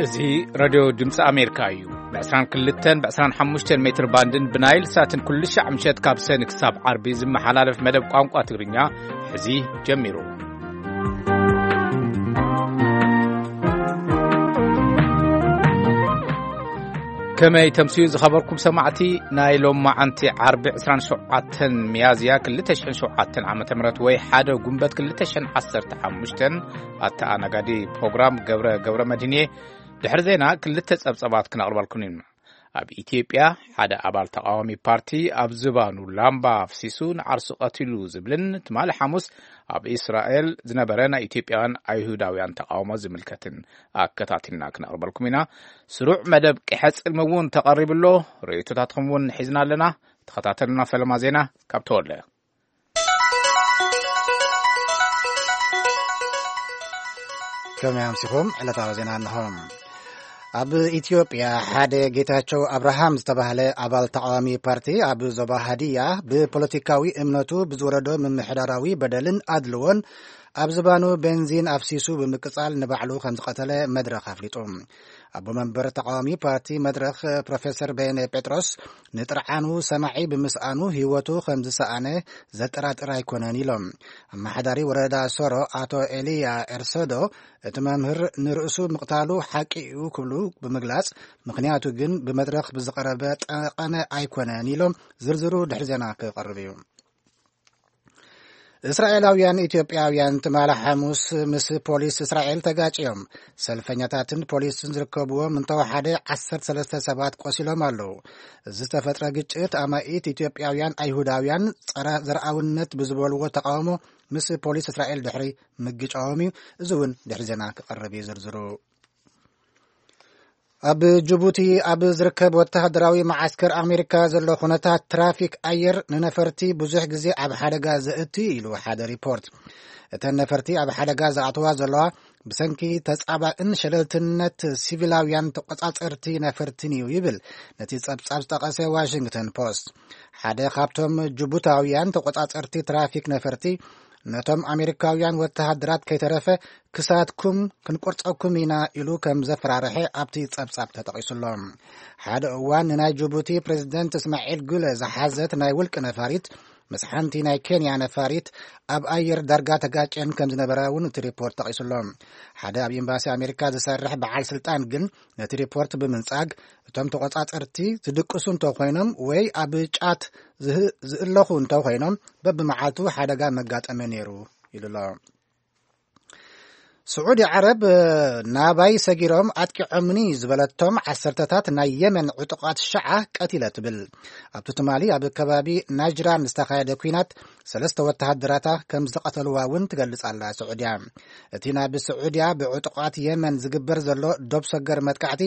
እዚ ሬድዮ ድምፂ ኣሜሪካ እዩ። ብ22 ብ25 ሜትር ባንድን ብናይል ሳትን ኩሉ ሻዕ ምሸት ካብ ሰኒ ክሳብ ዓርቢ ዝመሓላለፍ መደብ ቋንቋ ትግርኛ ሕዚ ጀሚሩ። ከመይ ተምስዩ ዝኸበርኩም ሰማዕቲ፣ ናይ ሎማዓንቲ ዓርቢ 27 ሚያዝያ 2007 ዓ.ም ወይ 1 ጉንበት 2015 ኣተኣናጋዲ ፕሮግራም ገብረ ገብረ መድህንየ። ድሕሪ ዜና ክልተ ጸብጸባት ክነቕርበልኩም ኢና። ኣብ ኢትዮጵያ ሓደ ኣባል ተቃዋሚ ፓርቲ ኣብ ዝባኑ ላምባ ኣፍሲሱ ንዓርሱ ቀቲሉ ዝብልን ትማሊ ሓሙስ ኣብ እስራኤል ዝነበረ ናይ ኢትዮጵያውያን ኣይሁዳውያን ተቃውሞ ዝምልከትን ኣከታቲልና ክነቕርበልኩም ኢና። ስሩዕ መደብ ቂሐ ጽልሚ እውን ተቐሪቡ ኣሎ። ርእይቶታትኩም እውን ሒዝና ኣለና። ተኸታተሉና። ፈለማ ዜና ካብ ተወለ። ከመይ ኣምሲኹም? ዕለታዊ ዜና እንሆ። ኣብ ኢትዮጵያ ሓደ ጌታቸው ኣብርሃም ዝተባህለ ኣባል ተቃዋሚ ፓርቲ ኣብ ዞባ ሃዲያ ብፖለቲካዊ እምነቱ ብዝወረዶ ምምሕዳራዊ በደልን ኣድልዎን ኣብ ዝባኑ ቤንዚን ኣፍሲሱ ብምቅጻል ንባዕሉ ከም ዝቐተለ መድረኽ ኣፍሊጡ። ኣቦ መንበር ተቃዋሚ ፓርቲ መድረኽ ፕሮፌሰር በየነ ጴጥሮስ ንጥርዓኑ ሰማዒ ብምስኣኑ ህይወቱ ከም ዝሰኣነ ዘጠራጥር ኣይኮነን ኢሎም። ኣመሓዳሪ ወረዳ ሶሮ ኣቶ ኤልያ ኤርሰዶ እቲ መምህር ንርእሱ ምቕታሉ ሓቂ እዩ ክብሉ ብምግላጽ፣ ምኽንያቱ ግን ብመድረኽ ብዝቐረበ ጠቐነ ኣይኮነን ኢሎም። ዝርዝሩ ድሕሪ ዜና ክቐርብ እዩ። እስራኤላውያን ኢትዮጵያውያን ትማሊ ሓሙስ ምስ ፖሊስ እስራኤል ተጋጭዮም። ሰልፈኛታትን ፖሊስን ዝርከብዎም እንተወሓደ 13 ሰባት ቆሲሎም ኣለዉ። እዚ ዝተፈጥረ ግጭት ኣማኢት ኢትዮጵያውያን ኣይሁዳውያን ጸረ ዘርኣውነት ብዝበልዎ ተቃውሞ ምስ ፖሊስ እስራኤል ድሕሪ ምግጫዎም እዩ። እዚ እውን ድሕሪ ዜና ክቐርብ እዩ ዝርዝሩ። ኣብ ጅቡቲ ኣብ ዝርከብ ወተሃደራዊ መዓስከር ኣሜሪካ ዘሎ ኩነታት ትራፊክ ኣየር ንነፈርቲ ብዙሕ ግዜ ኣብ ሓደጋ ዘእቱ ኢሉ ሓደ ሪፖርት። እተን ነፈርቲ ኣብ ሓደጋ ዝኣተዋ ዘለዋ ብሰንኪ ተጻባእን ሸለልትነት ሲቪላውያን ተቆጻጸርቲ ነፈርትን እዩ ይብል ነቲ ጸብጻብ ዝጠቐሰ ዋሽንግተን ፖስት። ሓደ ካብቶም ጅቡታውያን ተቆጻጸርቲ ትራፊክ ነፈርቲ ነቶም ኣሜሪካውያን ወተሃደራት ከይተረፈ ክሳትኩም ክንቆርጸኩም ኢና ኢሉ ከም ዘፈራርሐ ኣብቲ ጸብጻብ ተጠቒሱሎ። ሓደ እዋን ንናይ ጅቡቲ ፕሬዝደንት እስማዒል ጉለ ዝሓዘት ናይ ውልቂ ነፋሪት ምስ ሓንቲ ናይ ኬንያ ነፋሪት ኣብ ኣየር ዳርጋ ተጋጭየን ከም ዝነበራ እውን እቲ ሪፖርት ጠቒሱሎ። ሓደ ኣብ ኤምባሲ ኣሜሪካ ዝሰርሕ በዓል ስልጣን ግን ነቲ ሪፖርት ብምንጻግ፣ እቶም ተቆጻጸርቲ ዝድቅሱ እንተኾይኖም ወይ ኣብ ጫት ዝህ-፣ ዝእለኹ እንተኾይኖም በብመዓልቱ ሓደጋ መጋጠመ ነይሩ ኢሉ ኣሎ። ስዑዲ ዓረብ፣ ናባይ ሰጊሮም ኣጥቂዖምኒ ዝበለቶም ዓሰርተታት ናይ የመን ዕጡቓት ሸዓ ቀቲለ ትብል። ኣብቲ ትማሊ ኣብ ከባቢ ናጅራን ዝተኻየደ ኲናት ሰለስተ ወተሃደራታ ከም ዝቐተልዋ እውን ትገልጽ ኣላ ስዑድያ። እቲ ናብ ስዑድያ ብዕጡቓት የመን ዝግበር ዘሎ ዶብ ሰገር መጥቃዕቲ፣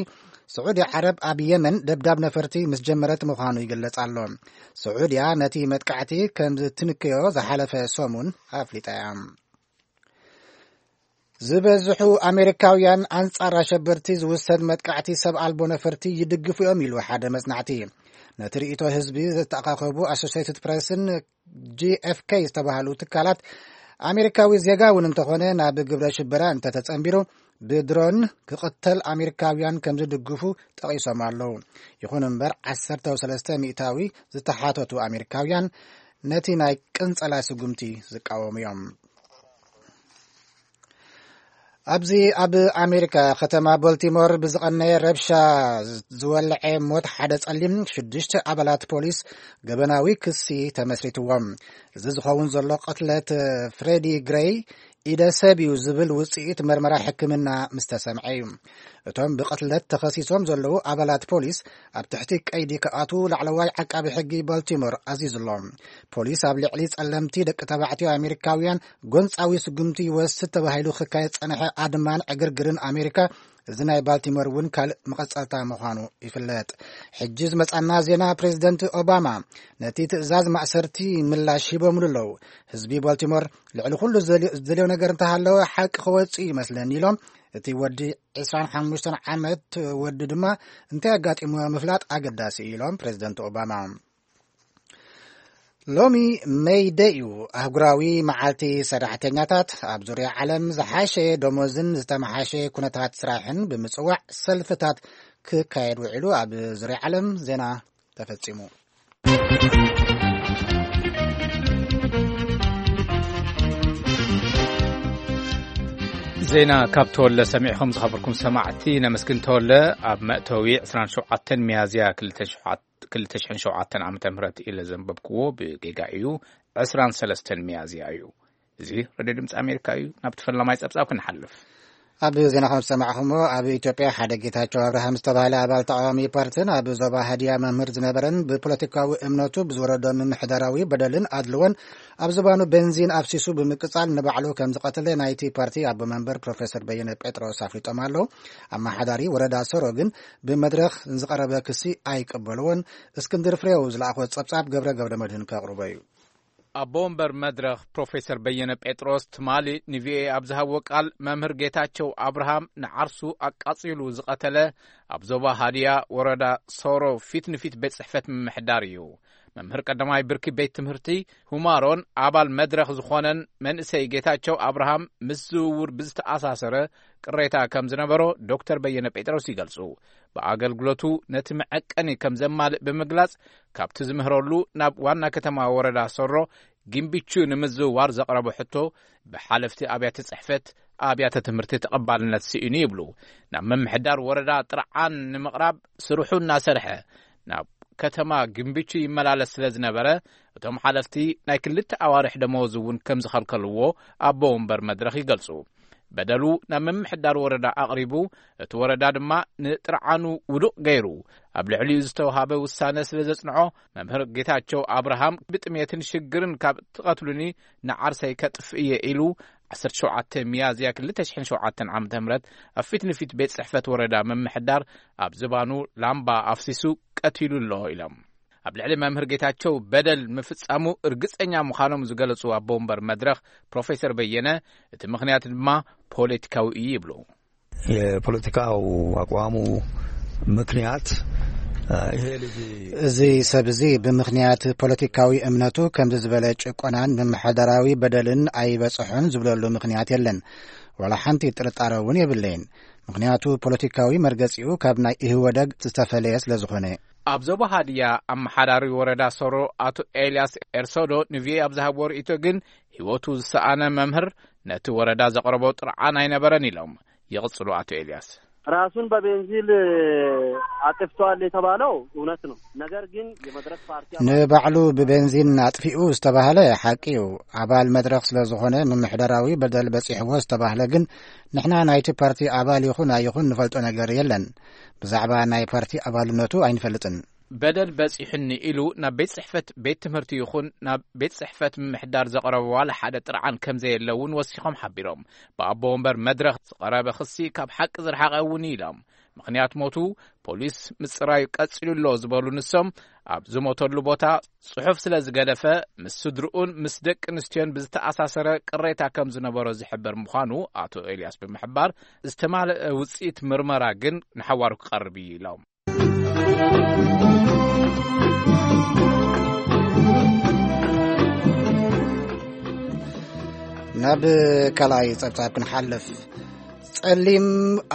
ስዑዲ ዓረብ ኣብ የመን ደብዳብ ነፈርቲ ምስ ጀመረት ምዃኑ ይግለጽ ኣሎ። ስዑድያ ነቲ መጥቃዕቲ ከም ዝትንክዮ ዝሓለፈ ሰሙን ኣፍሊጣ እያ። ዝበዝሑ ኣሜሪካውያን ኣንጻር ኣሸበርቲ ዝውሰድ መጥቃዕቲ ሰብ ኣልቦ ነፈርቲ ይድግፉ እዮም ኢሉ ሓደ መጽናዕቲ። ነቲ ርእይቶ ህዝቢ ዝተኣኻኸቡ ኣሶሴትድ ፕሬስን ጂ ኤፍ ኬ ዝተባህሉ ትካላት፣ ኣሜሪካዊ ዜጋ እውን እንተኾነ ናብ ግብረ ሽበራ እንተተጸንቢሩ ብድሮን ክቕተል ኣሜሪካውያን ከም ዝድግፉ ጠቒሶም ኣለዉ። ይኹን እምበር 13% ዝተሓተቱ ኣሜሪካውያን ነቲ ናይ ቅንጸላ ስጉምቲ ዝቃወሙ እዮም። ኣብዚ ኣብ ኣሜሪካ ከተማ ቦልቲሞር ብዝቐነየ ረብሻ ዝወለዐ ሞት ሓደ ጸሊም ሽዱሽተ ኣባላት ፖሊስ ገበናዊ ክሲ ተመስሪትዎም። እዚ ዝኸውን ዘሎ ቅትለት ፍሬዲ ግሬይ ኢደ ሰብ እዩ ዝብል ውጽኢት መርመራ ሕክምና ምስ ተሰምዐ እዩ። እቶም ብቕትለት ተኸሲሶም ዘለዉ ኣባላት ፖሊስ ኣብ ትሕቲ ቀይዲ ክኣትዉ ላዕለዋይ ዓቃቢ ሕጊ ቦልቲሞር ኣዚዙ ኣሎ። ፖሊስ ኣብ ልዕሊ ጸለምቲ ደቂ ተባዕትዮ ኣሜሪካውያን ጎንጻዊ ስጉምቲ ይወስድ ተባሂሉ ክካየድ ጸንሐ ኣድማን ዕግርግርን ኣሜሪካ፣ እዚ ናይ ባልቲሞር እውን ካልእ መቐጸልታ ምዃኑ ይፍለጥ። ሕጂ ዝመጻና ዜና፣ ፕሬዚደንት ኦባማ ነቲ ትእዛዝ ማእሰርቲ ምላሽ ሂቦምሉ ኣለዉ። ህዝቢ ባልቲሞር ልዕሊ ኩሉ ዝደልዮ፣ ዝደልዮ ነገር እንተሃለወ ሓቂ ክወጽእ ይመስለኒ ኢሎም እቲ ወዲ ዕስራን ሓሙሽተን ዓመት ወዲ ድማ እንታይ ኣጋጢምዎ ምፍላጥ ኣገዳሲ እዩ ኢሎም ፕሬዚደንት ኦባማ። ሎሚ ሜይ ደይ እዩ፣ ኣህጉራዊ መዓልቲ ሰራሕተኛታት። ኣብ ዙርያ ዓለም ዝሓሸ ደሞዝን ዝተመሓሸ ኩነታት ስራሕን ብምጽዋዕ ሰልፍታት ክካየድ ውዒሉ። ኣብ ዙርያ ዓለም ዜና ተፈጺሙ። ዜና ካብ ተወለ ሰሚዕኹም ዝኸበርኩም ሰማዕቲ ነመስግን። ተወለ ኣብ መእተዊ ዕስራን ሸውዓተን ሚያዝያ ክልተ ሽሕን ሸውዓተን ዓመተ ምህረት ኢለ ዘንበብክዎ ብጌጋ እዩ። ዕስራን ሰለስተን ሚያዝያ እዩ። እዚ ሬድዮ ድምፂ ኣሜሪካ እዩ። ናብቲ ፈላማይ ፀብፃብ ክንሓልፍ። ኣብ ዜና ከም ዝሰማዕኹሞ፣ ኣብ ኢትዮጵያ ሓደ ጌታቸው ኣብርሃም ዝተባህለ ኣባል ተቃዋሚ ፓርትን ኣብ ዞባ ሃዲያ መምህር ዝነበረን ብፖለቲካዊ እምነቱ ብዝወረዶ ምምሕዳራዊ በደልን ኣድልዎን ኣብ ዝባኑ ቤንዚን ኣፍሲሱ ብምቅጻል ንባዕሉ ከም ዝቐተለ ናይቲ ፓርቲ ኣቦ መንበር ፕሮፌሰር በየነ ጴጥሮስ ኣፍሊጦም ኣለዉ። ኣመሓዳሪ ወረዳ ሶሮ ግን ብመድረኽ ንዝቐረበ ክሲ ኣይቀበልዎን። እስክንድር ፍሬው ዝለኣኾ ጸብጻብ ገብረ ገብረ መድህን ከቕርቦ እዩ። ኣቦ ወንበር መድረኽ ፕሮፌሰር በየነ ጴጥሮስ ትማሊ ንቪኦኤ ኣብ ዝሃብዎ ቃል፣ መምህር ጌታቸው ኣብርሃም ንዓርሱ ኣቃጺሉ ዝቐተለ ኣብ ዞባ ሃዲያ ወረዳ ሶሮ ፊት ንፊት ቤት ጽሕፈት ምምሕዳር እዩ። መምህር ቀዳማይ ብርኪ ቤት ትምህርቲ ሁማሮን ኣባል መድረኽ ዝኾነን መንእሰይ ጌታቸው ኣብርሃም ምስ ዝውውር ብዝተኣሳሰረ ቅሬታ ከም ዝነበሮ ዶክተር በየነ ጴጥሮስ ይገልጹ። ብኣገልግሎቱ ነቲ መዐቀኒ ከም ዘማልእ ብምግላጽ፣ ካብቲ ዝምህረሉ ናብ ዋና ከተማ ወረዳ ሶሮ ጊምቢቹ ንምዝውዋር ዘቕረቦ ሕቶ ብሓለፍቲ ኣብያተ ጽሕፈት ኣብያተ ትምህርቲ ተቐባልነት ስኢኑ ይብሉ። ናብ ምምሕዳር ወረዳ ጥርዓን ንምቕራብ ስርሑ እናሰርሐ ናብ ከተማ ጊምቢቹ ይመላለስ ስለ ዝነበረ፣ እቶም ሓለፍቲ ናይ ክልተ ኣዋርሕ ደመወዝ እውን ከም ዝኸልከልዎ ኣቦ ወንበር መድረኽ ይገልጹ። በደሉ ናብ ምምሕዳር ወረዳ ኣቕሪቡ፣ እቲ ወረዳ ድማ ንጥርዓኑ ውዱቕ ገይሩ ኣብ ልዕሊኡ ዝተውሃበ ውሳነ ስለ ዘጽንዖ፣ መምህር ጌታቸው ኣብርሃም ብጥሜትን ሽግርን ካብ ትቐትሉኒ ንዓርሰይ ከጥፍእ እየ ኢሉ ዓሰርተ ሸውዓተ ሚያዝያ ክልተ ሽሕን ሸውዓተን ዓመተ ምህረት ኣብ ፊት ንፊት ቤት ጽሕፈት ወረዳ ምምሕዳር ኣብ ዝባኑ ላምባ ኣፍሲሱ ቀቲሉ ኣሎ ኢሎም። ኣብ ልዕሊ መምህር ጌታቸው በደል ምፍጻሙ እርግጸኛ ምዃኖም ዝገለጹ ኣቦ ወንበር መድረኽ ፕሮፌሰር በየነ፣ እቲ ምኽንያት ድማ ፖለቲካዊ እዩ ይብሉ። የፖለቲካው አቋሙ ምክንያት፣ አ፣ ይሄ ልጅ እዚ ሰብ እዚ ብምኽንያት ፖለቲካዊ እምነቱ ከምዚ ዝበለ ጭቆናን ምምሕዳራዊ በደልን ኣይበጽሖን ዝብለሉ ምኽንያት የለን። ዋላ ሓንቲ ጥርጣረ እውን የብለይን። ምኽንያቱ ፖለቲካዊ መርገጺኡ ካብ ናይ ኢህወደግ ዝተፈለየ ስለ ዝኾነ። ኣብ ዞባ ሃድያ ኣመሓዳሪ ወረዳ ሶሮ ኣቶ ኤልያስ ኤርሶዶ ንቪኦኤ ኣብ ዝሃብዎ ርእይቶ ግን፣ ህይወቱ ዝሰኣነ መምህር ነቲ ወረዳ ዘቕረቦ ጥርዓን ኣይነበረን ኢሎም። ይቕጽሉ ኣቶ ኤልያስ። ራሱን በቤንዚል አጥፍቷል የተባለው እውነት ነው። ነገር ግን የመድረክ ፓርቲ አባል ንባዕሉ ብቤንዚን ኣጥፊኡ ዝተባህለ ሓቂ እዩ። ኣባል መድረኽ ስለ ዝኾነ ምምሕዳራዊ በደል በጺሕዎ ዝተባህለ ግን፣ ንሕና ናይቲ ፓርቲ ኣባል ይኹን ኣይኹን ንፈልጦ ነገር የለን። ብዛዕባ ናይ ፓርቲ ኣባልነቱ ኣይንፈልጥን። በደል በጺሑኒ ኢሉ ናብ ቤት ጽሕፈት ቤት ትምህርቲ ይኹን ናብ ቤት ጽሕፈት ምምሕዳር ዘቕረበ ዋላ ሓደ ጥርዓን ከም ዘየለ እውን ወሲኾም ሓቢሮም። ብኣቦ ወንበር መድረኽ ዝቐረበ ክሲ ካብ ሓቂ ዝረሓቐ እውን እዩ ኢሎም። ምኽንያት ሞቱ ፖሊስ ምጽራዩ ቀጺሉ ኣሎ ዝበሉ ንሶም፣ ኣብ ዝሞተሉ ቦታ ጽሑፍ ስለ ዝገደፈ፣ ምስ ስድርኡን ምስ ደቂ ኣንስትዮን ብዝተኣሳሰረ ቅሬታ ከም ዝነበሮ ዝሕበር ምዃኑ ኣቶ ኤልያስ ብምሕባር፣ ዝተማልአ ውጽኢት ምርመራ ግን ንሓዋሩ ክቐርብ እዩ ኢሎም። ናብ ካልኣይ ጸብጻብ ክንሓልፍ። ጸሊም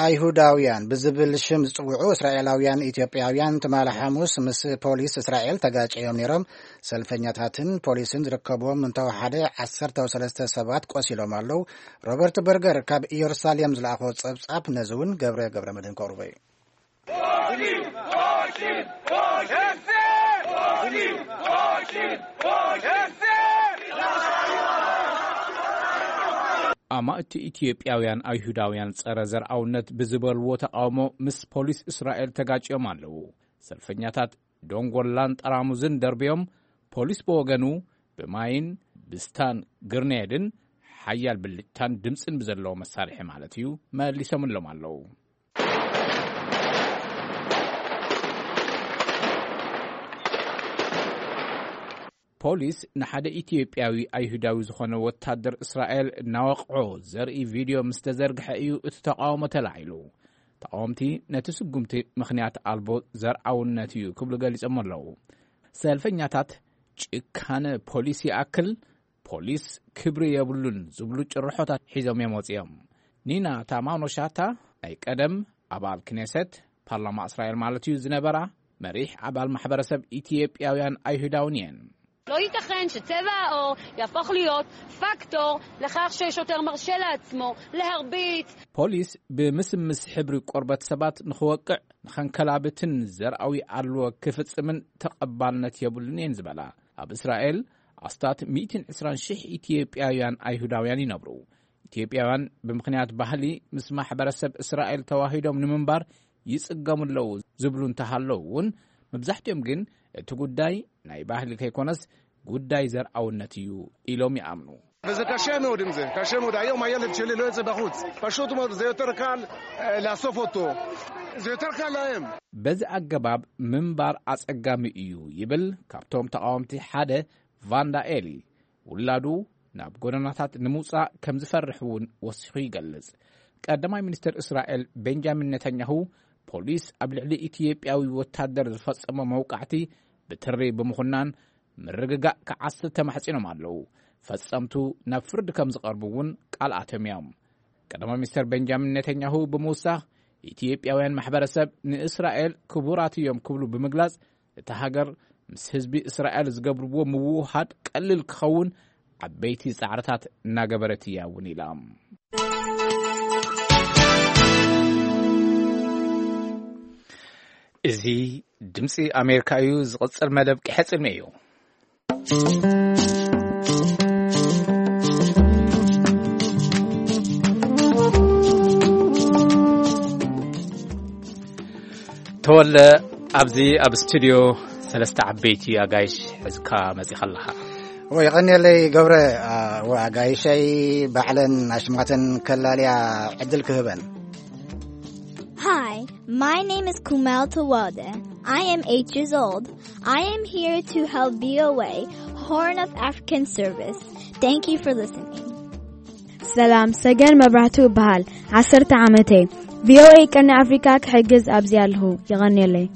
ኣይሁዳውያን ብዝብል ሽም ዝጽውዑ እስራኤላውያን ኢትዮጵያውያን ትማሊ ሓሙስ ምስ ፖሊስ እስራኤል ተጋጨዮም ነይሮም። ሰልፈኛታትን ፖሊስን ዝርከብዎም እንተወሓደ ዓሰርተ ሰለስተ ሰባት ቆሲሎም ኣለዉ። ሮበርት በርገር ካብ ኢየሩሳሌም ዝለኣኾ ጸብጻብ ነዚ እውን ገብረ ገብረ መድህን ከቕርቦ እዩ። ኣማእቲ ኢትዮጵያውያን ኣይሁዳውያን ጸረ ዘርኣውነት ብዝበልዎ ተቓውሞ ምስ ፖሊስ እስራኤል ተጋጭዮም ኣለዉ። ሰልፈኛታት ዶንጎላን ጠራሙዝን ደርብዮም፣ ፖሊስ ብወገኑ ብማይን ብስታን ግርኔድን ሓያል ብልጭታን ድምፅን ብዘለዎ መሳርሒ ማለት እዩ መሊሶምሎም ኣለዉ። ፖሊስ ንሓደ ኢትዮጵያዊ ኣይሁዳዊ ዝኾነ ወታደር እስራኤል እናወቕዖ ዘርኢ ቪድዮ ምስ ተዘርግሐ እዩ እቲ ተቓውሞ ተላዒሉ። ተቓወምቲ ነቲ ስጉምቲ ምኽንያት ኣልቦ ዘርኣውነት እዩ ክብሉ ገሊጾም ኣለዉ። ሰልፈኛታት ጭካነ ፖሊስ ይኣክል፣ ፖሊስ ክብሪ የብሉን ዝብሉ ጭርሖታት ሒዞም እዮም ወጺኦም። ኒና ታማኖ ሻታ ናይ ቀደም ኣባል ክኔሰት፣ ፓርላማ እስራኤል ማለት እዩ፣ ዝነበራ መሪሕ ኣባል ማሕበረሰብ ኢትዮጵያውያን ኣይሁዳውን እየን። לא ייתכן שצבע העור יהפוך להיות פקטור לכך ששוטר מרשה לעצמו להרביץ. ፖሊስ ብምስምስ ሕብሪ ቆርበት ሰባት ንኽወቅዕ ንኸንከላብትን ዘርኣዊ ኣድልዎ ክፍጽምን ተቐባልነት የብሉን እየን ዝበላ ኣብ እስራኤል ኣስታት ሚእትን ዕስራን ሽሕ ኢትዮጵያውያን ኣይሁዳውያን ይነብሩ። ኢትዮጵያውያን ብምኽንያት ባህሊ ምስ ማሕበረሰብ እስራኤል ተዋሂዶም ንምንባር ይጽገሙ ኣለዉ ዝብሉ እንተሃለዉ እውን፣ መብዛሕትኦም ግን እቲ ጉዳይ ናይ ባህሊ ከይኮነስ ጉዳይ ዘርኣውነት እዩ ኢሎም ይኣምኑ። וזה קשה מאוד עם זה, קשה מאוד. היום הילד שלי לא יוצא בחוץ. פשוט מאוד, זה יותר קל אה, לאסוף אותו. זה יותר קל להם. በዚ ኣገባብ ምንባር ኣጸጋሚ እዩ ይብል ካብቶም ተቓወምቲ ሓደ ቫንዳ ኤሊ። ውላዱ ናብ ጎደናታት ንምውጻእ ከም ዝፈርሕ እውን ወሲኹ ይገልጽ። ቀዳማይ ሚኒስትር እስራኤል ቤንጃሚን ኔታንያሁ ፖሊስ ኣብ ልዕሊ ኢትዮጵያዊ ወታደር ዝፈጸሞ መውቃዕቲ ብትሪ ብምኹናን ምርግጋእ ክዓስል ተማሕጺኖም ኣለዉ። ፈጸምቱ ናብ ፍርዲ ከም ዝቐርቡ እውን ቃል ኣትዮም እዮም። ቀዳማይ ሚኒስትር ቤንጃሚን ኔታንያሁ ብምውሳኽ ኢትዮጵያውያን ማሕበረሰብ ንእስራኤል ክቡራት እዮም ክብሉ ብምግላጽ እታ ሃገር ምስ ህዝቢ እስራኤል ዝገብርዎ ምውህሃድ ቀሊል ክኸውን ዓበይቲ ጻዕርታት እናገበረት እያ እውን ኢላ። እዚ ድምፂ ኣሜሪካ እዩ። ዝቕፅል መደብ ቅሐ ፅልሚ እዩ። ተወለ፣ ኣብዚ ኣብ ስቱድዮ ሰለስተ ዓበይቲ ኣጋይሽ ሕዝካ መጺኻ ኣለኻ። እወ፣ የቐንየለይ ገብረ። አ፣ እወ፣ ኣጋይሸይ ባዕለን ኣሽማተን ከላልያ ዕድል ክህበን። Hi, my name is Kumel Tawalde. I am eight years old. I am here to help V O A Horn of African service. Thank you for listening. ሰላም፣ ሰገን መብራህቱ እበሃል። ዓሰርተ ዓመተይ። ቪኦኤ ቀርኒ ኣፍሪካ ክሕግዝ ኣብዚ ኣለኹ። የቐንየለይ።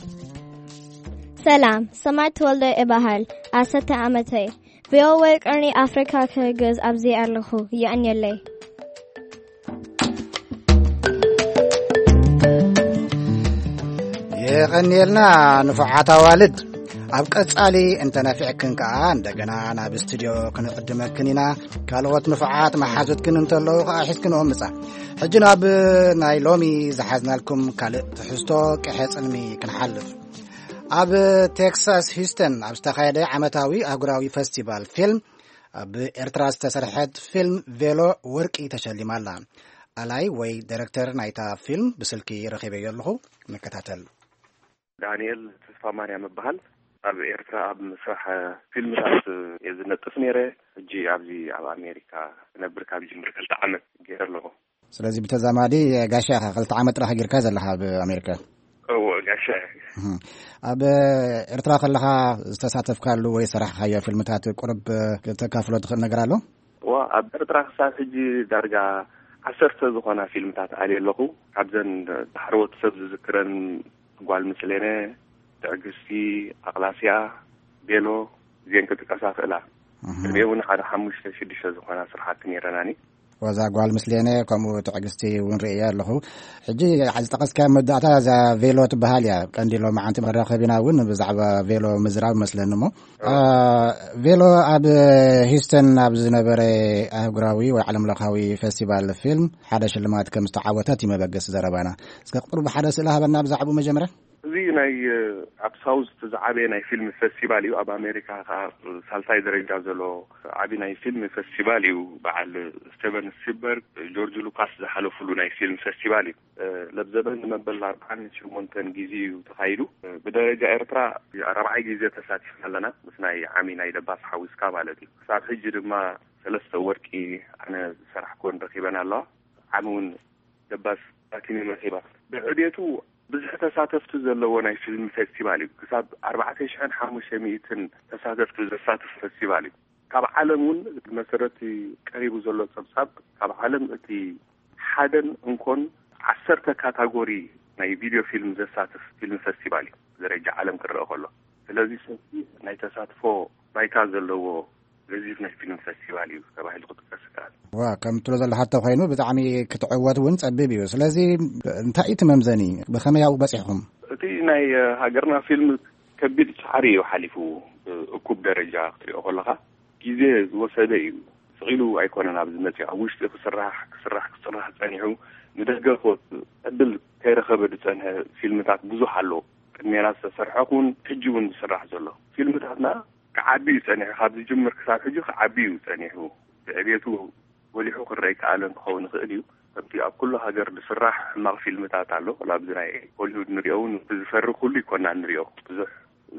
ሰላም፣ ሰማይ ተወልደ እበሃል። ዓሰርተ ዓመተይ። ቪኦኤ ቀርኒ ኣፍሪካ ክሕግዝ ኣብዚ ኣለኹ። የቐንየለይ። የቐንየልና ንፉዓት ኣዋልድ። ኣብ ቀጻሊ እንተነፊዕክን ከኣ እንደገና ናብ ስቱድዮ ክንዕድመክን ኢና። ካልኦት ንፉዓት መሓዙትክን እንተለዉ ከኣ ሒዝክንኦም ምጻ። ሕጂ ናብ ናይ ሎሚ ዝሓዝናልኩም ካልእ ትሕዝቶ ቅሐ ጽልሚ ክንሓልፍ። ኣብ ቴክሳስ ሂውስተን ኣብ ዝተኻየደ ዓመታዊ ኣህጉራዊ ፈስቲቫል ፊልም ኣብ ኤርትራ ዝተሰርሐት ፊልም ቬሎ ወርቂ ተሸሊማ ኣላ። ኣላይ ወይ ዳይረክተር ናይታ ፊልም ብስልኪ ረኺበዮ ኣለኹ። ንከታተል። ዳንኤል ተስፋማርያም እበሃል። ኣብ ኤርትራ ኣብ ምስራሕ ፊልምታት እየ ዝነጥፍ ነይረ። ሕጂ ኣብዚ ኣብ ኣሜሪካ ክነብር ካብ ዝጅምር ክልተ ዓመት ገይረ ኣለኹ። ስለዚ ብተዛማዲ ጋሻ ኢኻ፣ ክልተ ዓመት ጥራሕ ጌርካ ዘለኻ ኣብ ኣሜሪካ። እዎ፣ ጋሻ እየ። እህ። ኣብ ኤርትራ ከለኻ ዝተሳተፍካሉ ወይ ዝሰራሕካዮ ፊልምታት ቁሩብ ክተካፍሎ ትኽእል ነገር ኣሎ? እዋ፣ ኣብ ኤርትራ ክሳብ ሕጂ ዳርጋ ዓሰርተ ዝኾና ፊልምታት ኣልየ ኣለኹ። ካብዘን ዳሕረዎት ሰብ ዝዝክረን ጓል ምስሌነ፣ ትዕግስቲ፣ ኣቕላስያ፣ ቤሎ፣ እዚአን ክጥቀሳ ክእላ። እህ። ቅድሚኡ እውን ሓደ ሓሙሽተ ሽዱሽተ ዝኾና ስራሓት ነይረናኒ። ወዛ ጓል ምስሌነ፣ ከምኡ ትዕግስቲ እውን ርእየ ኣለኹ። ሕጂ ዝጠቐስካዮ መወዳእታ እዛ ቬሎ ትበሃል እያ። ቀንዲ ሎማዓንቲ መራኸቢና እውን ብዛዕባ ቬሎ ምዝራብ መስለኒ እሞ፣ አ፣ ቬሎ ኣብ ሂውስተን ኣብ ዝነበረ ኣህጉራዊ ወይ ዓለምለኻዊ ፈስቲቫል ፊልም ሓደ ሽልማት ከም ዝተዓወተት እዩ መበገሲ ዘረባና። እስከ ቁሩብ ሓደ ስእሊ ሃበና ብዛዕባኡ መጀመርያ። እዚ ናይ፣ እ፣ ኣብ ሳውዝ እቲ ዝዓበየ ናይ ፊልም ፈስቲቫል እዩ። ኣብ ኣሜሪካ ከዓ ሳልሳይ ደረጃ ዘሎ ዓቢ ናይ ፊልም ፈስቲቫል እዩ። በዓል ስቴቨን ስፒልበርግ፣ ጆርጅ ሉካስ ዝሓለፉሉ ናይ ፊልም ፈስቲቫል እዩ። እ፣ ለብዘበን ንመበል ኣርባዓን ሸሞንተን ግዜ እዩ ተኻይዱ። እ፣ ብደረጃ ኤርትራ ራብዓይ ግዜ ተሳቲፍና ኣለና፣ ምስ ናይ ዓሚ ናይ ደባስ ሓዊስካ ማለት እዩ። ክሳብ ሕጂ ድማ ሰለስተ ወርቂ ኣነ ዝሰራሕኩወን ረኺበን ኣለዋ። ዓሚ እውን ደባስ ፕላቲኒየም ረኺባ። ብዕቤቱ ብዙሕ ተሳተፍቲ ዘለዎ ናይ ፊልም ፌስቲቫል እዩ። ክሳብ ኣርባዕተ ሽሕን ሓሙሽተ ሚእትን ተሳተፍቲ ዘሳትፍ ፌስቲቫል እዩ። ካብ ዓለም እውን ብመሰረት ቀሪቡ ዘሎ ጸብጻብ፣ ካብ ዓለም እቲ ሓደን እንኮን ዓሰርተ ካታጎሪ ናይ ቪድዮ ፊልም ዘሳትፍ ፊልም ፌስቲቫል እዩ፣ ደረጃ ዓለም ክረአ ከሎ። ስለዚ ሰፊሕ ናይ ተሳትፎ ባይታ ዘለዎ ገዚፍ ናይ ፊልም ፌስቲቫል እዩ ተባሂሉ ክጥቀስ ይከኣል። ዋ፣ ከም ትብሎ ዘለኻ እንተኾይኑ ብጣዕሚ ክትዕወት እውን ጸቢብ እዩ። ስለዚ እንታይ እዩ እቲ መምዘኒ? ብኸመይ ኣብኡ በጺሕኹም? እቲ ናይ ሃገርና ፊልም ከቢድ ጻዕሪ እዩ ሓሊፉ። እኩብ ደረጃ ክትሪኦ ከለኻ ግዜ ዝወሰደ እዩ። ስቕ ኢሉ ኣይኮነን ኣብዚ መጺኡ። ኣብ ውሽጢ ክስራሕ፣ ክስራሕ፣ ክስራሕ ጸኒሑ፣ ንደገ ክወጽእ ዕድል ከይረኸበ ዝጸንሐ ፊልምታት ብዙሕ ኣሎ። ቅድሜና ዝተሰርሐ ኹን ሕጂ እውን ዝስራሕ ዘሎ ፊልምታትና ክዓቢ እዩ ጸኒሑ። ካብ ዝጅምር ክሳብ ሕጂ ክዓቢ እዩ ጸኒሑ። ብዕቤቱ ጎሊሑ ክረአ ይከኣለን ክኸውን ይኽእል እዩ። ከምቲ ኣብ ኩሉ ሃገር ዝስራሕ ሕማቕ ፊልምታት ኣሎ። ወላ ኣብዚ ናይ ሆሊውድ ንሪኦ እውን፣ እቲ ዝፈሪ ኩሉ ይኮና ንሪኦ። ብዙሕ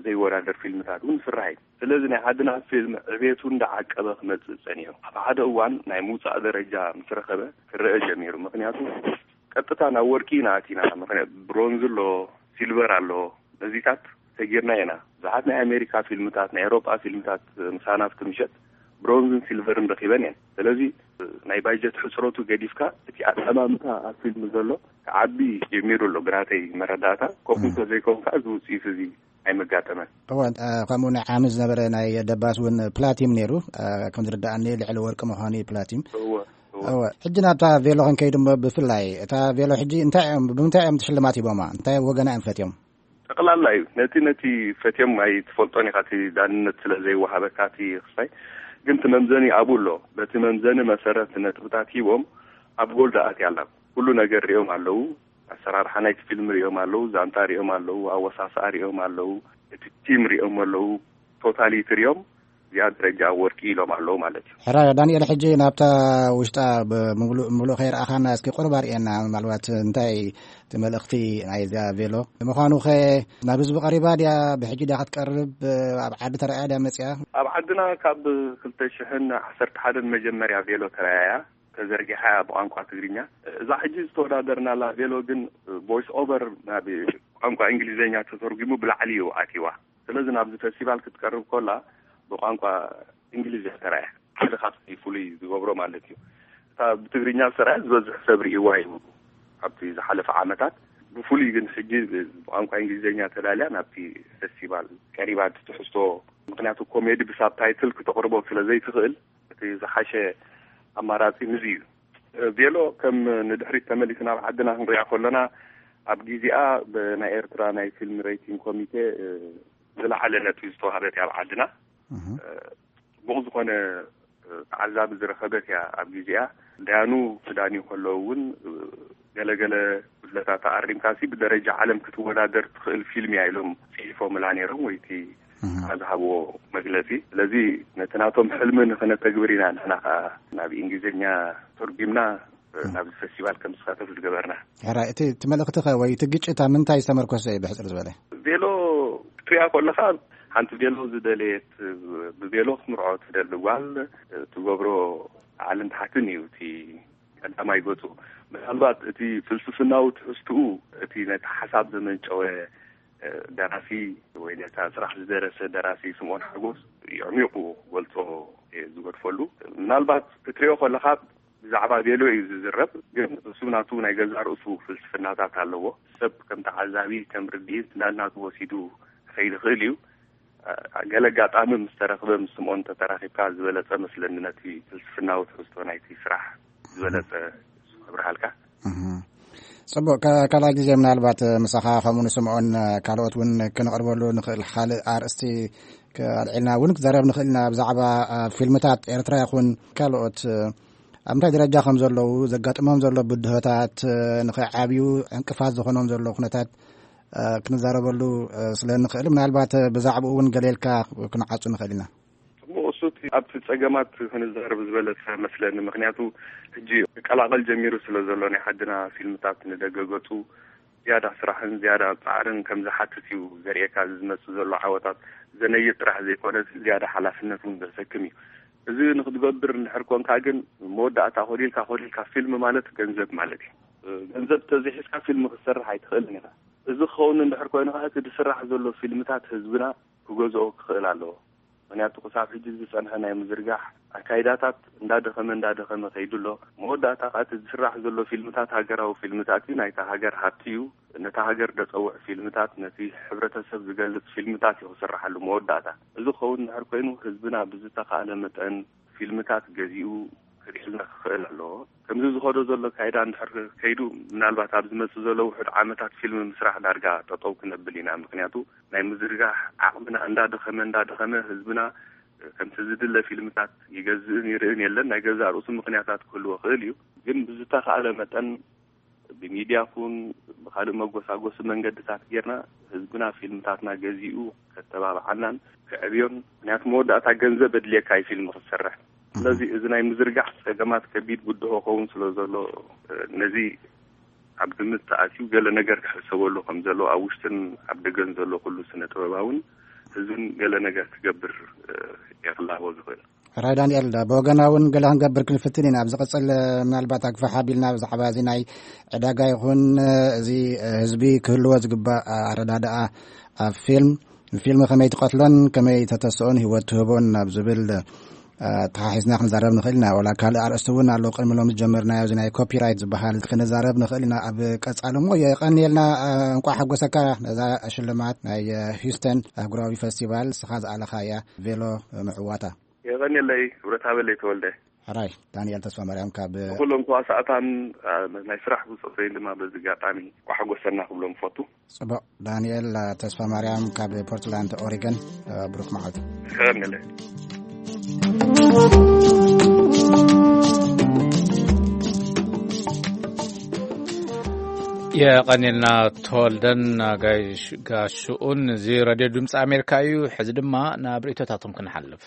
ዘይወዳደር ፊልምታት እውን ይስራሕ እዩ። ስለዚ ናይ ዓድና ፊልም ዕቤቱ እንዳዓቀበ ክመጽእ ጸኒሑ። ኣብ ሓደ እዋን ናይ ምውጻእ ደረጃ ምስ ረኸበ ክረአ ጀሚሩ። ምኽንያቱ ቀጥታ ናብ ወርቂ ኢና ኣቲና። ምኽንያቱ ብሮንዝ ኣሎ፣ ሲልቨር ኣሎ፣ ነዚታት ሰጊርና ኢና። ብዙሓት ናይ ኣሜሪካ ፊልምታት፣ ናይ ኤውሮጳ ፊልምታት ምሳና ኣብቲ ምሸት ብሮንዝን ሲልቨርን ረኺበን እየን። ስለዚ ናይ ባጀት ሕጽረቱ ገዲፍካ እቲ ኣጠማምታ ኣብ ፊልም ዘሎ ክዓቢ ጀሚሩ ኣሎ፣ ብናተይ መረዳእታ። ከምኡ እም። እንተዘይኮን ከዓ እዚ ውጽኢት እዚ ኣይመጋጠመን። እወ፣ እ፣ ከምኡ ናይ ዓሚ ዝነበረ ናይ ደባስ እውን ፕላቲም ነይሩ። እ፣ ከም ዝርዳእኒ ልዕሊ ወርቂ ምዃኑ እዩ ፕላቲም። እወ፣ እወ። እወ፣ ሕጂ ናብታ ቬሎ ክንከይድ እሞ ብፍላይ እታ ቬሎ ሕጂ እንታይ እዮም፣ ብምንታይ እዮም ሽልማት ሂቦማ? እንታይ ወገና እዮም ፈትዮም? ጠቕላላ እዩ። ነቲ፣ ነቲ ፈትዮም ኣይትፈልጦን ኢኻ፣ እቲ ዳንነት ስለ ዘይወሃበካ እቲ ክስታይ። ግን እቲ መምዘኒ ኣብኡ ኣሎ። በቲ መምዘኒ መሰረት ነጥብታት ሂቦም ኣብ ጎል ደኣ ኣትያ ኣላ። ኩሉ ነገር ሪኦም ኣለዉ። ኣሰራርሓ ናይቲ ፊልም ሪኦም ኣለዉ፣ ዛንታ ሪኦም ኣለዉ፣ ኣወሳስኣ ሪኦም ኣለዉ፣ እቲ ቲም ሪኦም ኣለዉ፣ ቶታሊቲ ሪኦም እዚኣ ደረጃ ወርቂ ኢሎም ኣለዉ ማለት እዩ። ሕራይ ዳንኤል፣ ሕጂ ናብታ ውሽጣ ብምሉእ፣ ምሉእ ከይረኣኻና እስኪ ቁሩብ ኣርእየና፣ ምናልባት እንታይ እቲ መልእኽቲ ናይዛ ቬሎ ንምዃኑ ኸ ናብ ህዝቢ ቀሪባ ድያ? ብሕጂ ድያ ክትቀርብ? ኣብ ዓዲ ተራእያ ድያ መጽያ? ኣብ ዓድና ካብ ክልተ ሽሕን ዓሰርተ ሓደን መጀመርያ ቬሎ ተራእያ ተዘርጊሓ እያ ብቋንቋ ትግርኛ። እዛ ሕጂ ዝተወዳደርናላ ቬሎ ግን ቮይስ ኦቨር ናብ ቋንቋ እንግሊዝኛ ተተርጒሙ ብላዕሊ እዩ ኣትይዋ። ስለዚ ናብዚ ፌስቲቫል ክትቀርብ ከላ ብቋንቋ እንግሊዝ እያ ተራእያ። ሓደ ካብቲ ፍሉይ ዝገብሮ ማለት እዩ። እታ ብትግርኛ ዝተራእያ ዝበዝሕ ሰብ ርእይዋ እዩ ኣብቲ ዝሓለፈ ዓመታት። ብፍሉይ ግን ሕጂ ብቋንቋ እንግሊዝኛ ተዳልያ ናብቲ ፌስቲቫል ቀሪባ፣ እቲ ትሕዝቶ፣ ምኽንያቱ ኮሜዲ ብሳብታይትል ክተቕርቦ ስለ ዘይትኽእል እቲ ዝሓሸ ኣማራጺ ንዚ እዩ። ቬሎ ከም ንድሕሪት ተመሊስና ኣብ ዓድና ክንሪኣ ከለና፣ ኣብ ግዜኣ ብናይ ኤርትራ ናይ ፊልም ሬቲንግ ኮሚቴ፣ እ፣ ዝለዓለ ነጥቢ ዝተዋህበት እያ ኣብ ዓድና። እህ። እ፣ ጽቡቕ ዝኾነ፣ እ፣ ተዓዛቢ ዝረኸበት እያ ኣብ ግዜኣ። ደያኑ ክዳንዩ ከለዉ እውን፣ እ፣ ገለገለ ጉድለታት ኣሪምካሲ ብደረጃ ዓለም ክትወዳደር ትኽእል ፊልም እያ ኢሎም ጽሒፎምላ ነይሮም፣ ወይ እቲ እህ። ዝሃብዎ መግለጺ። ስለዚ ነቲ ናቶም ሕልሚ ንኽነተግብር ኢና ንሕና ኸኣ ናብ እንግሊዝኛ ተርጒምና እም። ናብዚ ፌስቲቫል ከም ዝሳተፍ ዝገበርና። ሕራይ፣ እቲ፣ እቲ መልእኽቲ ኸ ወይ እቲ ግጭት ኣብ ምንታይ ዝተመርኮሰ እዩ ብሕጽር ዝበለ? ቬሎ ክትሪኣ ከለኻ ሓንቲ ቬሎ ዝደለየት፣ ብቬሎ ክትምርዖ ትደሊ ጓል ትገብሮ ላዕልን ታሕትን እዩ እቲ ቀዳማይ ገጹ። ምናልባት እቲ ፍልስፍናዊ ትሕዝትኡ እቲ ነቲ ሓሳብ ዘመንጨወ ደራሲ ወይ ነታ ስራሕ ዝደረሰ ደራሲ ስምኦን ሓጎስ የዕሚቑ ክገልጾ እየ ዝገድፈሉ። ምናልባት ክትሪኦ ከለኻ ብዛዕባ ቬሎ እዩ ዝዝረብ፣ ግን እሱ ናቱ ናይ ገዛእ ርእሱ ፍልስፍናታት ኣለዎ። ሰብ ከም ተዓዛቢ፣ ከም ርድኢት ናናቱ ወሲዱ ክኸይድ ይኽእል እዩ። ገለ ኣጋጣሚ ምስ ተረኽበ ምስ ስምኦን እንተተራኺብካ ዝበለጸ መስለኒ ነቲ ፍልስፍናዊ ትሕዝቶ ናይቲ ስራሕ ዝበለጸ እሱ ከብርሃልካ። እህ። ጽቡቕ፣ ካ-፣ ካልኣይ ግዜ ምናልባት ምሳኻ ከምኡ ንስምዖን ካልኦት እውን ክነቕርበሉ ንኽእል ካልእ ኣርእስቲ ኣልዒልና እውን ክዛረብ ንኽእል ኢና። ብዛዕባ፣ አ፣ ፊልምታት ኤርትራ ይኹን ካልኦት፣ አ፣ ኣብ ምንታይ ደረጃ ከም ዘለዉ፣ ዘጋጥሞም ዘሎ ብድሆታት፣ አ፣ ንኸይዓብዩ ዕንቅፋት ዝኾኖም ዘሎ ኩነታት፣ አ፣ ክንዛረበሉ፣ አ፣ ስለ እንኽእል ምናልባት ብዛዕባኡ እውን ገለ ኢልካ ክንዓጹ ንኽእል ኢና። ጽቡቕ፣ እሱ እቲ ኣብቲ ጸገማት ክንዛረብ ዝበለጸ መስለኒ። ምኽንያቱ ሕጂ ክቀላቐል ጀሚሩ ስለ ዘሎ ናይ ዓድና ፊልምታት ንደገ ገጹ ዝያዳ ስራሕን ዝያዳ ጻዕርን ከም ዝሓትት እዩ ዘርእየካ። እዚ ዝመጽእ ዘሎ ዓወታት ዘነይት ጥራሕ ዘይኮነ ዝያዳ ሓላፍነት እውን ዘሰክም እዩ። እዚ ንክትገብር እንድሕር ኮንካ ግን መወዳእታ ኮሊልካ ኮሊልካ ፊልም ማለት ገንዘብ ማለት እዩ። ገንዘብ ተዘይሒዝካ ፊልም ክትሰርሕ ኣይትኽእልን ኢኻ። እዚ ክኸውን እንድሕር ኮይኑ ከዓ እቲ ዝስራሕ ዘሎ ፊልምታት ህዝብና ክገዝኦ ክኽእል ኣለዎ። ምክንያቱ ክሳብ ሕጂ ዝጸንሐ ናይ ምዝርጋሕ ኣካይዳታት እንዳደኸመ እንዳደኸመ ከይዱ ኣሎ። መወዳእታ ከዓ እቲ ዝስራሕ ዘሎ ፊልምታት ሃገራዊ ፊልምታት እዩ፣ ናይታ ሃገር ሃብቲ እዩ። ነታ ሃገር ደጸውዕ ፊልምታት፣ ነቲ ሕብረተሰብ ዝገልጽ ፊልምታት እዩ ክስርሓሉ መወዳእታ። እዚ ክኸውን እንድሕር ኮይኑ ህዝብና ብዝተኻእለ መጠን ፊልምታት ገዚኡ ክርእየልና ክኽእል ኣለዎ። ከምዚ ዝኸዶ ዘሎ ካይዳ እንድሕር ከይዱ፣ ምናልባት ኣብ ዝመጽእ ዘሎ ውሑድ ዓመታት ፊልም ምስራሕ ዳርጋ ጠጠው ክነብል ኢና። ምክንያቱ ናይ ምዝርጋሕ ዓቕምና እንዳደኸመ እንዳደኸመ ህዝብና ከምቲ ዝድለ ፊልምታት ይገዝእን ይርእን የለን። ናይ ገዛእ ርእሱ ምክንያታት ክህልዎ ክእል እዩ። ግን ብዝተኻእለ መጠን ብሚድያ ኩን ብካልእ መጎሳጎሲ መንገድታት ጌርና ህዝብና ፊልምታትና ገዚኡ ከተባብዓናን ክዕብዮን። ምክንያቱ መወዳእታ ገንዘብ ኣድልየካ እዩ ፊልም ክትሰርሕ። ስለዚ እዚ ናይ ምዝርጋሕ ጸገማት ከቢድ ብድሆ ከውን ስለ ዘሎ፣ ነዚ ኣብ ግምት ተኣትዩ ገለ ነገር ክሕሰበሉ ከም ዘለዎ ኣብ ውሽጥን ኣብ ደገን ዘሎ ኩሉ ስነ ጥበባውን ህዝብን ገለ ነገር ክገብር የኽላቦ ዝኽእል። ሕራይ ዳንኤል፣ ብወገና እውን ገለ ክንገብር ክንፍትን ኢና። ኣብ ዝቕጽል ምናልባት ኣግፋሕ ኣቢልና ብዛዕባ እዚ ናይ ዕዳጋ ይኹን እዚ ህዝቢ ክህልዎ ዝግባእ ኣረዳድኣ ኣብ ፊልም፣ ፊልም ከመይ ትቐትሎን ከመይ ተተስኦን ህይወት ትህቦን ናብ ዝብል ተሓሒዝና ክንዛረብ ንኽእል ኢና። ወላ ካልእ ኣርእስቲ እውን ኣሎ፣ ቅድሚ ሎሚ ዝጀመርናዮ፣ እዚ ናይ ኮፒራይት ዝበሃል፣ ክንዛረብ ንኽእል ኢና ኣብ ቀጻሊ። እሞ የቐንየልና፣ እንቋዕ ሓጎሰካ ነዛ ሽልማት ናይ ሂውስተን ኣህጉራዊ ፈስቲቫል፣ ንስኻ ዝኣለኻያ ቬሎ ምዕዋታ። የቐንየለይ ክብረታ በለይ ተወልደ። ሕራይ ዳንኤል ተስፋ ማርያም ካብ ኩሎም ተዋሳእታን ናይ ስራሕ ብጾተይን ድማ በዚ ኣጋጣሚ እንቋዕ ሓጎሰና ክብሎም ፈቱ። ጽቡቕ። ዳንኤል ተስፋ ማርያም ካብ ፖርትላንድ ኦሪገን፣ ብሩክ መዓልቲ። የቐንየለይ። የቐንየልና ተወልደን ጋሽ-፣ ጋሽኡን። እዚ ሬድዮ ድምፂ ኣሜሪካ እዩ። ሕዚ ድማ ናብ ርእይቶታቶም ክንሓልፍ።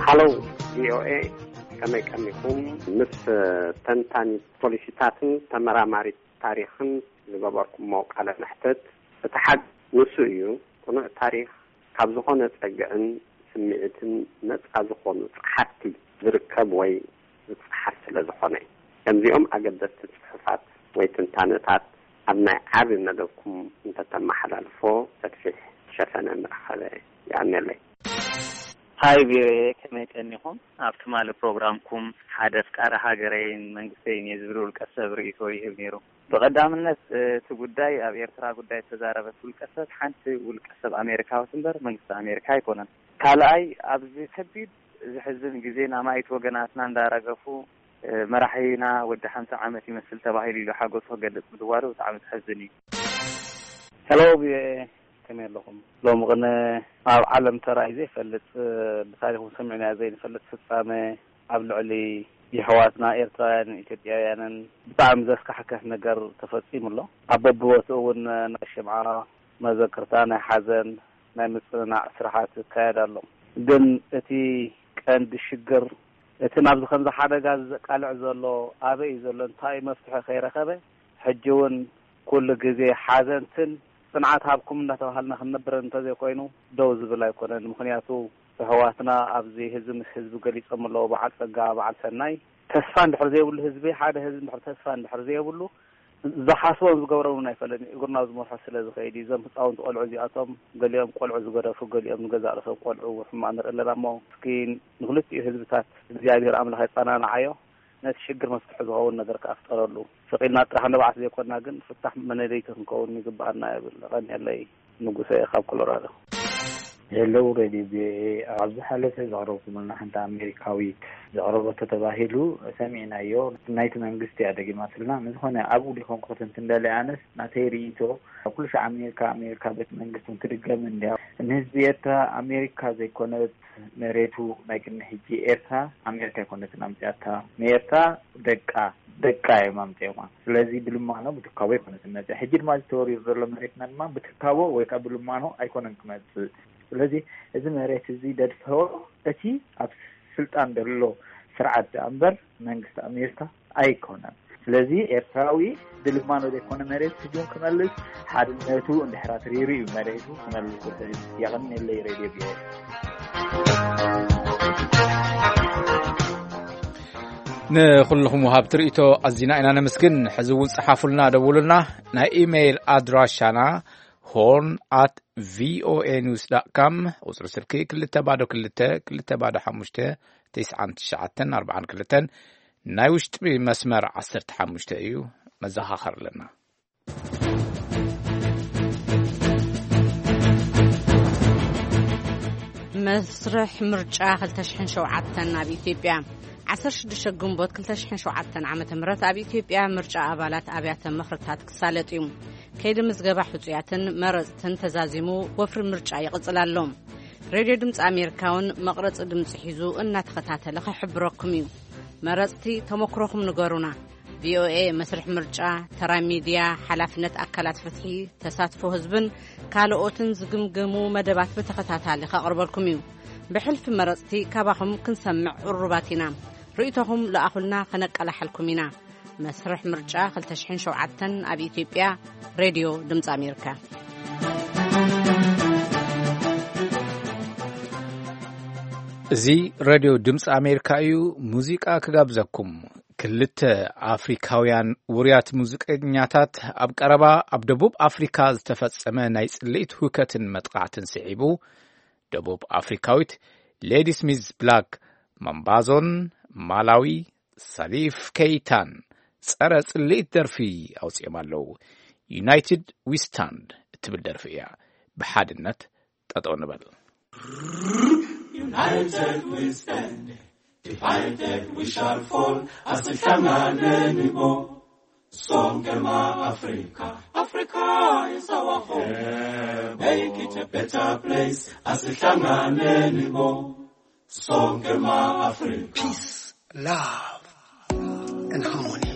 ሃሎ ቪኦኤ፣ ከመይ ቀኒኹም? ምስ ተንታኒ ፖሊሲታትን ተመራማሪ ታሪኽን ዝገበርኩሞ ቃለ መሕትት፣ እቲ ሓቂ ንሱ እዩ። ቅኑዕ ታሪኽ ካብ ዝኾነ ጸግዕን ስምዒትን ነጻ ዝኾኑ ጸሓፍቲ ዝርከብ ወይ ዝጸሓፍ ስለ ዝኾነ። ከምዚኦም ኣገደስቲ ጽሑፋት ወይ ትንታነታት ኣብ ናይ ዓቢ መደብኩም እንተተመሓላልፎ ሰፊሕ ሸፈነ ምረኸበ። የቐንየለይ። ሃይ ቪኦኤ፣ ከመይ ቀኒኹም? ኣብ ትማሊ ፕሮግራምኩም ሓደ ኣፍቃሪ ሃገረይን መንግስተይን እየ ዝብል ውልቀ ሰብ ርእይቶ ይህብ ነይሩ። ብቐዳምነት፣ እቲ ጉዳይ ኣብ ኤርትራ ጉዳይ ዝተዛረበት ውልቀ ሰብ ሓንቲ ውልቀ ሰብ ኣሜሪካዊት እምበር መንግስቲ ኣሜሪካ ኣይኮነን። ካልኣይ፣ ኣብዚ ከቢድ ዘሕዝን ግዜ ኣማኢት ወገናትና እንዳረገፉ፣ መራሒና ወዲ ሓምሳ ዓመት ይመስል ተባሂሉ ኢሉ ሓጎሱ ክገልጽ ምድዋሉ ብጣዕሚ ዘሕዝን እዩ። ሄሎ ቪኦኤ፣ ከመይ ኣለኹም? ሎሚ ቅነ ኣብ ዓለም ተራእዩ ዘይፈልጥ፣ ብታሪኹ ሰሚዕናዮ ዘይንፈልጥ ፍጻመ ኣብ ልዕሊ የሕዋትና ኤርትራውያንን ኢትዮጵያውያንን ብጣዕሚ ዘስካሕክሕ ነገር ተፈጺሙ ኣሎ። ኣብ በብቦትኡ እውን ናይ ሽምዓ መዘክርታ፣ ናይ ሓዘን፣ ናይ ምጽንናዕ ስራሓት ይካየድ ኣሎ። ግን እቲ ቀንዲ ሽግር፣ እቲ ናብዚ ከምዚ ሓደጋ ዘቃልዕ ዘሎ ኣበይ እዩ ዘሎ፣ እንታይ እዩ መፍትሒ ከይረኸበ፣ ሕጂ እውን ኩሉ ግዜ ሓዘንትን ጽንዓት ሃብኩም እንዳተባሃልና ክንነብር እንተዘይኮይኑ ደው ዝብል ኣይኮነን። ምኽንያቱ ኣሕዋትና ኣብዚ ህዝቢ ምስ ህዝቢ ገሊጾም ኣለዉ፣ በዓል ጸጋ፣ በዓል ሰናይ። ተስፋ እንድሕር ዘይብሉ ህዝቢ፣ ሓደ ህዝቢ እንድሕር ተስፋ እንድሕር ዘይብሉ፣ ዝሓስቦን ዝገብሮን እውን ኣይፈለጥን እዩ። እግርና ዝመርሖ ስለ ዝኸይድ እዩ። እዞም ህፃውንቲ ቆልዑ እዚኣቶም ገሊኦም ቆልዑ ዝገደፉ፣ ገሊኦም ንገዛእ ርእሶም ቆልዑ ሕማቕ ንርኢ ኣለና እሞ፣ እስኪ ንክልቲኡ ህዝብታት እግዚኣብሔር ኣምላኽ የጸናንዓዮ። ነቲ ሽግር መፍትሒ ዝኸውን ነገር ከኣ ፍጠረሉ። ስቕ ኢልና ጥራሕ ንባዓት ዘይኮንና ግን ፍታሕ መነደይቲ ክንከውን ይግብኣና እብል። የቐንየለይ። ንጉሰ ካብ ኮሎራዶ። ሄሎ ሬድዮ ቪኦኤ፣ ኣብ ዝሓለፈ ዘቕረብኩምልና ሓንቲ ኣሜሪካዊት ዘቕረበቶ ተባሂሉ ሰሚዕናዮ። ናይቲ መንግስቲ እያ ደጊማትልና። ንዝኾነ ኣብኡ ዲኹም ክተንትን ደልየ። ኣነስ ናተይ ርእይቶ፣ ኩሉ ሻዕ ኣሜሪካ፣ ኣሜሪካ ቤት መንግስትን ክድገምን እንድያ። ንህዝቢ ኤርትራ ኣሜሪካ ዘይኮነት መሬቱ፣ ናይ ቅድሚ ሕጂ ኤርትራ ኣሜሪካ ኣይኮነትን ኣምፅኣታ። ንኤርትራ ደቃ፣ ደቃ እዮም ኣምፅኦማ። ስለዚ ብልማኖ ብትካቦ ኣይኮነትን መፅኣ። ሕጂ ድማ እዚ ተወሪሩ ዘሎ መሬትና ድማ ብትካቦ ወይ ከዓ ብልማኖ ኣይኮነን ክመፅእ። ስለዚ እዚ መሬት እዚ ደድፈዎ እቲ ኣብ ስልጣን ዘሎ ስርዓት ደኣ እምበር መንግስቲ ኣሜሪካ ኣይኮነን። ስለዚ ኤርትራዊ ብልማኖ ዘይኮነ መሬት ስጁን ክመልስ፣ ሓድነቱ እንድሕር ኣትሪሩ እዩ መሬቱ ክመልስ ዝኽእል። የቐንየለይ ሬድዮ ቪኦኤ። ንኹልኹም ወሃብቲ ርእይቶ ኣዚና ኢና ነመስግን። ሕዚ እውን ጸሓፉልና፣ ደውሉልና። ናይ ኢሜይል ኣድራሻና ሆርን ኣት ቪኦኤ ኒውስ ዳት ካም፣ ቁጽሪ ስልኪ ክልተ ባዶ ክልተ፣ ክልተ ባዶ ሓሙሽተ፣ ትስዓን ትሽዓተን ኣርባዓን ክልተን፣ ናይ ውሽጢ መስመር ዓሰርተ ሓሙሽተ እዩ። መዘኻኸር ኣለና። መስርሕ ምርጫ ክልተ ሽሕን ሸውዓተን ኣብ ኢትዮጵያ። ዓሰርተ ሽዱሽተ ግንቦት ክልተ ሽሕን ሸውዓተን ዓመተ ምህረት ኣብ ኢትዮጵያ ምርጫ ኣባላት ኣብያተ ምኽርታት ክሳለጥ እዩ። ከይዲ ምዝገባ ሕጹያትን መረጽትን ተዛዚሙ፣ ወፍሪ ምርጫ ይቕጽል ኣሎ። ሬድዮ ድምፂ ኣሜሪካ እውን መቕረፂ ድምፂ ሒዙ እናተኸታተለ ክሕብረኩም እዩ። መረፅቲ፣ ተመክሮኹም ንገሩና። ቪኦኤ መስርሕ ምርጫ፣ ተራ ሚድያ፣ ሓላፍነት ኣካላት ፍትሒ፣ ተሳትፎ ህዝብን ካልኦትን ዝግምገሙ መደባት ብተኸታታሊ ከቕርበልኩም እዩ። ብሕልፊ መረፅቲ ካባኹም ክንሰምዕ ቅሩባት ኢና። ርእይቶኹም ለኣኹልና፣ ከነቀላሕልኩም ኢና። መስርሕ ምርጫ ክልተ ሽሕን ሸውዓተን ኣብ ኢትዮጵያ። ሬድዮ ድምፂ ኣሜሪካ። እዚ ሬድዮ ድምፂ ኣሜሪካ እዩ። ሙዚቃ ክጋብዘኩም። ክልተ ኣፍሪካውያን ውሩያት ሙዚቀኛታት ኣብ ቀረባ ኣብ ደቡብ ኣፍሪካ ዝተፈጸመ ናይ ጽልኢት ሁከትን መጥቃዕትን ስዒቡ፣ ደቡብ ኣፍሪካዊት ሌዲ ስሚዝ ብላክ ማምባዞን ማላዊ ሳሊፍ ኬይታን ጸረ ጽልኢት ደርፊ ኣውጺኦም ኣለዉ። ዩናይትድ ዊ ስታንድ እትብል ደርፊ እያ። ብሓድነት ጠጠው ንበል። United we stand, divided we shall fall. Asihlangane nibo, sonke ma Africa. Africa is our home. Yeah, make it a better place. Asihlangane nibo, sonke ma Africa. Peace, love, and harmony.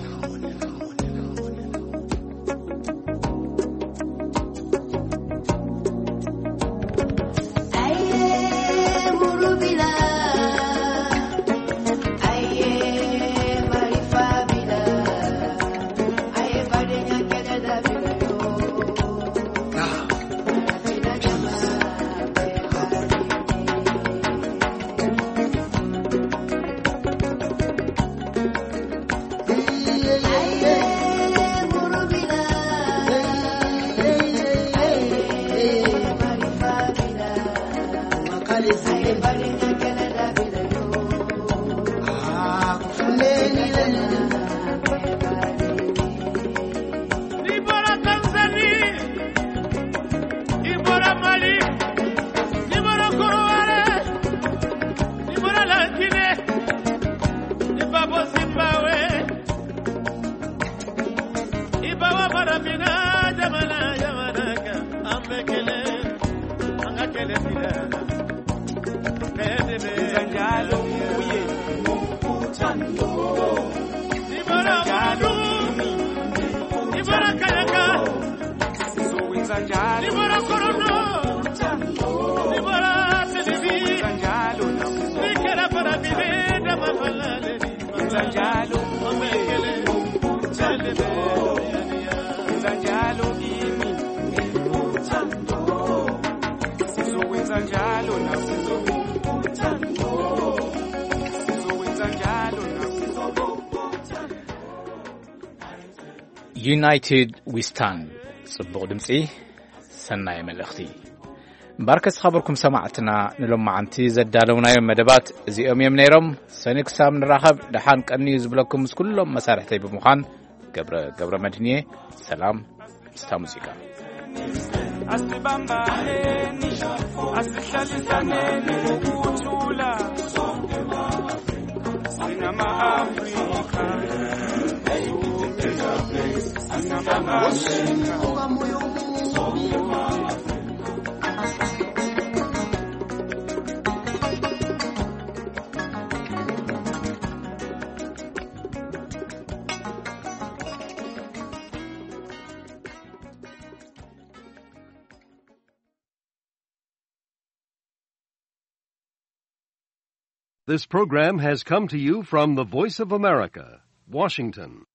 United we stand። ጽቡቕ ድምጺ፣ ሰናይ መልእኽቲ። እምበኣርከስ ዝኸበርኩም ሰማዕትና፣ ንሎማዓንቲ ዘዳለውናዮም መደባት እዚኦም እዮም ነይሮም። ሰኒ ክሳብ ንራኸብ፣ ደሓን ቀንዩ ዝብለኩም ምስ ኩሎም መሳርሕተይ ብምዃን ገብረ፣ ገብረ መድህን እየ። ሰላም ምስታ ሙዚቃ። Asibambaneni, asihlalisaneni ngokuthula. Singama-Afrika. Singama-Afrika. This program has come to you from the Voice of America, Washington.